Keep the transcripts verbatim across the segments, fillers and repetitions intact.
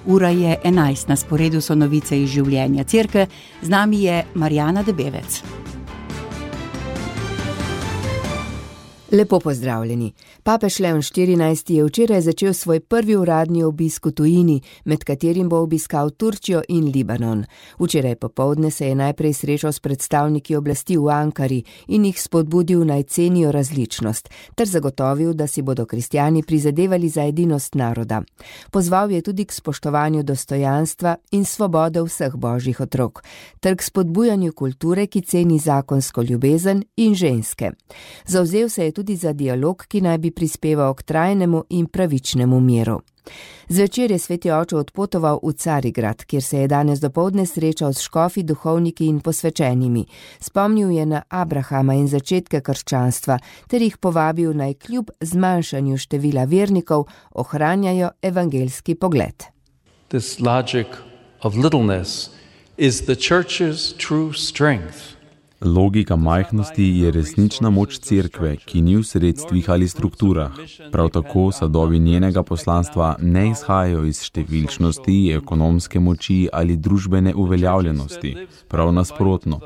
Ura je enajst, na sporedu so novice iz življenja cerkve, z nami je Marjana Debevec. Lepo pozdravljeni. Papež Leon štirinajsti je včeraj začel svoj prvi uradni obisk v tujini, med katerim bo obiskal Turčijo in Libanon. Včeraj popoldne se je najprej srečal s predstavniki oblasti v Ankari in jih spodbudil naj cenijo različnost, ter zagotovil, da si bodo kristjani prizadevali za edinost naroda. Pozval je tudi k spoštovanju dostojanstva in svobode vseh božjih otrok, ter k spodbujanju kulture, ki ceni zakonsko ljubezen in ženske. Zavzel se je tudi za dialog, ki naj bi prispeval k trajnemu in pravičnemu miru. Zvečer je sveti oče odpotoval v Carigrad, kjer se je danes dopoldne srečal s škofi, duhovniki in posvečenimi. Spomnil je na Abrahama in začetke krščanstva, ter jih povabil naj kljub zmanjšanju števila vernikov ohranjajo evangeljski pogled. This logic of littleness is the church's true strength. Logika majhnosti je resnična moč cerkve, ki ni v sredstvih ali strukturah. Prav tako sadovi njenega poslanstva ne izhajajo iz številčnosti, ekonomske moči ali družbene uveljavljenosti. Prav nasprotno.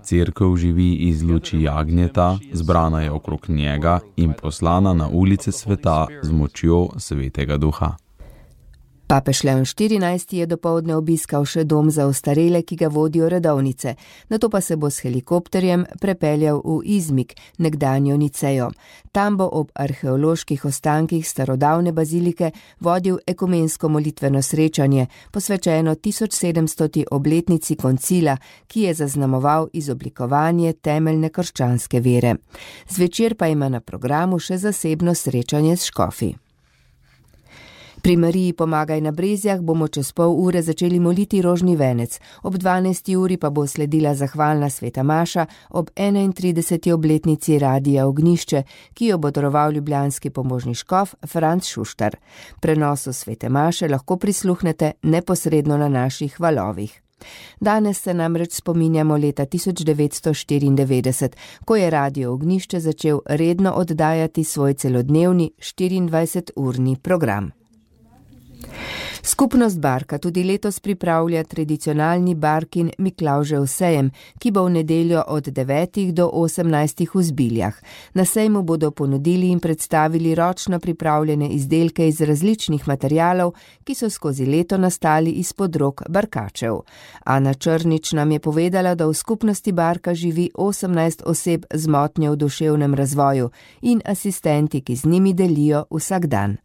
Cerkev živi iz luči jagnjeta, zbrana je okrog njega in poslana na ulice sveta z močjo Svetega Duha. Papež Leon štirinajsti je dopoldne obiskal še dom za ostarele, ki ga vodijo redovnice, nato pa se bo s helikopterjem prepeljal v Izmik, nekdanjo Nicejo. Tam bo ob arheoloških ostankih starodavne bazilike vodil ekumensko molitveno srečanje, posvečeno tisoč sedemstoti obletnici koncila, ki je zaznamoval izoblikovanje temeljne krščanske vere. Zvečer pa ima na programu še zasebno srečanje s škofi. Pri Mariji Pomagaj na Brezjah bomo čez pol ure začeli moliti rožni venec, ob dvanajsti uri pa bo sledila zahvalna sveta maša ob enaintrideseti obletnici Radia Ognjišče, ki jo bo daroval ljubljanski pomožni škof Franc Šuštar. Prenosu svete maše lahko prisluhnete neposredno na naših valovih. Danes se namreč spominjamo leta tisoč devetsto štiriindevetdeset, ko je Radio Ognjišče začel redno oddajati svoj celodnevni štiriindvajseturni program. Skupnost Barka tudi letos pripravlja tradicionalni Barkin Miklavžev sejem, ki bo v nedeljo od devetih do osemnajstih v Zbiljah. Na sejmu bodo ponudili in predstavili ročno pripravljene izdelke iz različnih materialov, ki so skozi leto nastali izpod rok barkačev. Ana Črnič nam je povedala, da v skupnosti Barka živi osemnajst oseb z motnjo v duševnem razvoju in asistenti, ki z njimi delijo vsak dan.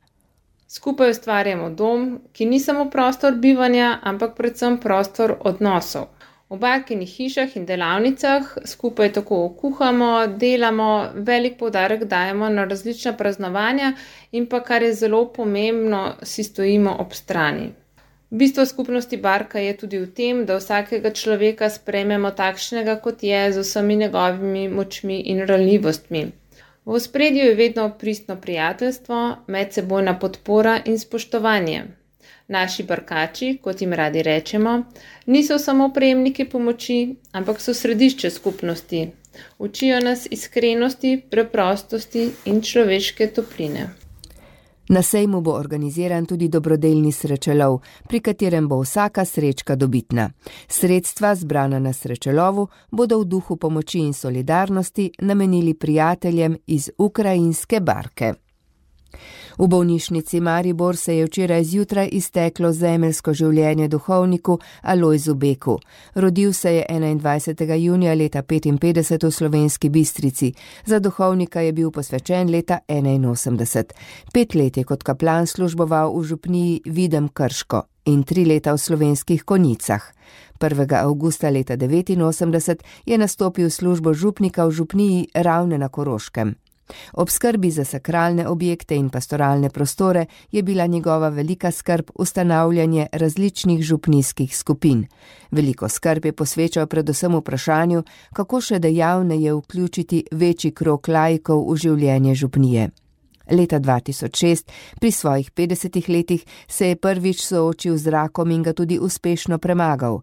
Skupaj ustvarjamo dom, ki ni samo prostor bivanja, ampak predvsem prostor odnosov. V Barkinih hišah in delavnicah skupaj tako kuhamo, delamo, velik poudarek dajemo na različna praznovanja in pa, kar je zelo pomembno, si stojimo ob strani. Bistvo skupnosti Barka je tudi v tem, da vsakega človeka sprejmemo takšnega, kot je, z vsemi njegovimi močmi in ranljivostmi. V ospredju je vedno pristno prijateljstvo, medsebojna podpora in spoštovanje. Naši barkači, kot jim radi rečemo, niso samo prejemniki pomoči, ampak so središče skupnosti. Učijo nas iskrenosti, preprostosti in človeške topline. Na sejmu bo organiziran tudi dobrodelni srečelov, pri katerem bo vsaka srečka dobitna. Sredstva, zbrana na srečelovu, bodo v duhu pomoči in solidarnosti namenili prijateljem iz ukrajinske Barke. V bolnišnici Maribor se je včeraj zjutraj izteklo zemeljsko življenje duhovniku Alojzu Beku. Rodil se je enaindvajsetega junija leta petinpetdeset v Slovenski Bistrici. Za duhovnika je bil posvečen leta enainosemdeset. Pet let je kot kaplan služboval v župniji Videm Krško in tri leta v Slovenskih Konjicah. prvega avgusta leta devetinosemdeset je nastopil službo župnika v župniji Ravne na Koroškem. Ob skrbi za sakralne objekte in pastoralne prostore je bila njegova velika skrb ustanavljanje različnih župnijskih skupin. Veliko skrb je posvečal predvsem vprašanju, kako še dejavneje vključiti večji krog laikov v življenje župnije. Leta dva tisoč šest, pri svojih petdesetih letih, se je prvič soočil z rakom in ga tudi uspešno premagal.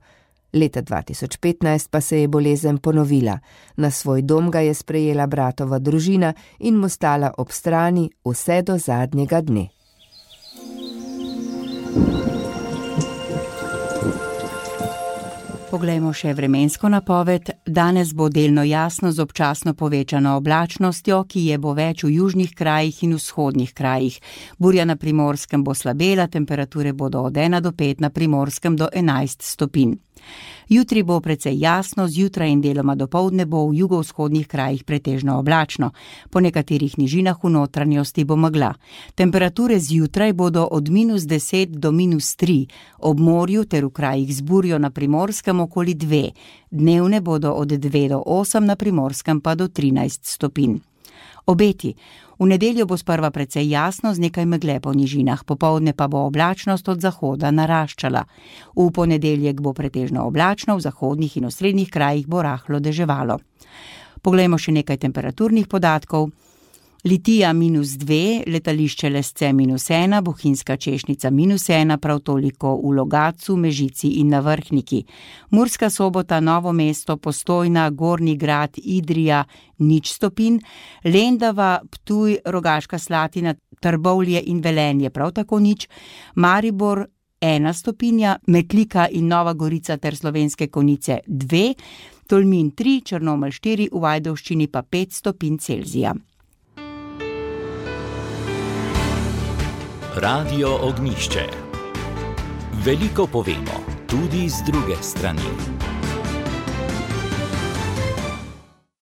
Leta dva tisoč petnajst pa se je bolezen ponovila. Na svoj dom ga je sprejela bratova družina in mu stala ob strani vse do zadnjega dne. Poglejmo še vremensko napoved. Danes bo delno jasno z občasno povečano oblačnostjo, ki je bo več v južnih krajih in vzhodnih krajih. Burja na Primorskem bo slabela, temperature bodo od ena do pet, na Primorskem do enajst stopinj. Jutri bo precej jasno, zjutraj in deloma dopoldne bo v jugovzhodnih krajih pretežno oblačno. Po nekaterih nižinah v notranjosti bo megla. Temperature zjutraj bodo od minus deset do minus tri, ob morju ter v krajih z burjo na Primorskem okoli dve. Dnevne bodo od dve do osem, na Primorskem pa do trinajst stopinj. Obeti. V nedeljo bo sprva precej jasno z nekaj megle po nižinah, popoldne pa bo oblačnost od zahoda naraščala. V ponedeljek bo pretežno oblačno, v zahodnih in osrednjih krajih bo rahlo deževalo. Poglejmo še nekaj temperaturnih podatkov. Litija minus dve, letališče Lesce minus ena, Bohinjska Češnica minus ena, prav toliko v Logatcu, Mežici in na Vrhniki. Murska Sobota, Novo mesto, Postojna, Gornji Grad, Idrija nič stopinj, Lendava, Ptuj, Rogaška Slatina, Trbovlje in Velenje prav tako nič, Maribor ena stopinja, Metlika in Nova Gorica ter Slovenske Konjice dve, Tolmin tri, Črnomelj štiri, v Ajdovščini pa pet stopinj Celzija. Radio Ognjišče. Veliko povemo, tudi z druge strani.